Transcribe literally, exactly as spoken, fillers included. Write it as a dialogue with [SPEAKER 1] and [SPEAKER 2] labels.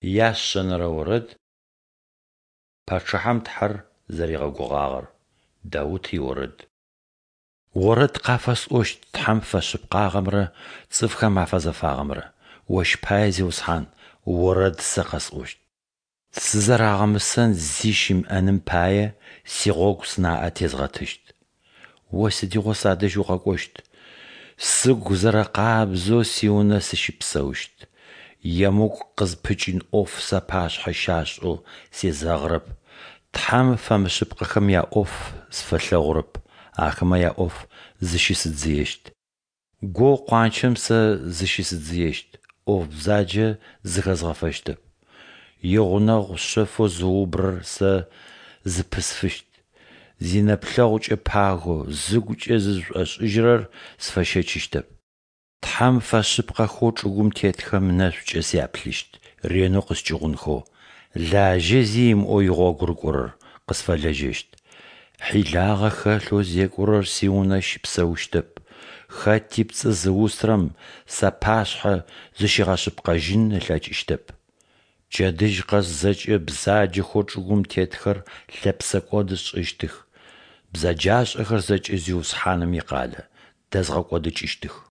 [SPEAKER 1] Ящэнэрэ орэд пачъыхьэм Тхьэр зэригъэгугъагъэр, Даут иорэд. Орэд къафэсӏощт Тхьэм фэшъыпкъагъэмрэ цӏыфхэм афэзэфагъэмрэ, Ощ пае, Зиусхьан, орэд сэ къэсӏощт. Сызэрагъэмысэн зи щымыӏэным пае, сигъогу сынаӏэ тезгъэтыщт. О сыдигъо садэжь укъэкӏощт? Сыгу зэрэкъабзэу сиунэ сыщыпсэущт. Емыкӏу къызпыкӏын ӏоф сапашъхьэ щашӏэу сезэгъырэп. Тхьэм фэмышъыпкъэхэм яӏоф сфэлъэгъурэп, ахэмэ яӏоф зыщысыдзыещт. Гоу къуанчэм сэ зыщысыдзыещт, ӏоф бзаджэ зыхэзгъэфэщтэп. Игъунэгъу шъэфэу зыубырэр сэ зыпысфыщт, зинэплъэгъукӏэ пагэу, зыгукӏэ зызышӏошӏыжьырэр сфэщэчыщтэп. Тхьэм фэшъыпкъэхэу чӏыгум тетхэм нэшӏукӏэ сяплъыщт, ренэу къыскӏыгъунхэу, лажьэ зи имыӏэу игъогу рыкӏорэр къысфэлэжьэщт. Хьилагъэ хэлъэу зекӏорэр сиунэ щыпсэущтэп, хэти пцӏы зыусырэм сапашъхьэ зыщигъэшъыпкъэжьын ылъэкӏыщтэп. Пчэдыжь къэс зэкӏэ бзаджэхэу чӏыгум тетхэр лъэпсэкӏод сшӏыщтых, бзэджашӏэхэр зэкӏэ Зиусхьаным икъалэ дэзгъэкӏодыкӏыщтых.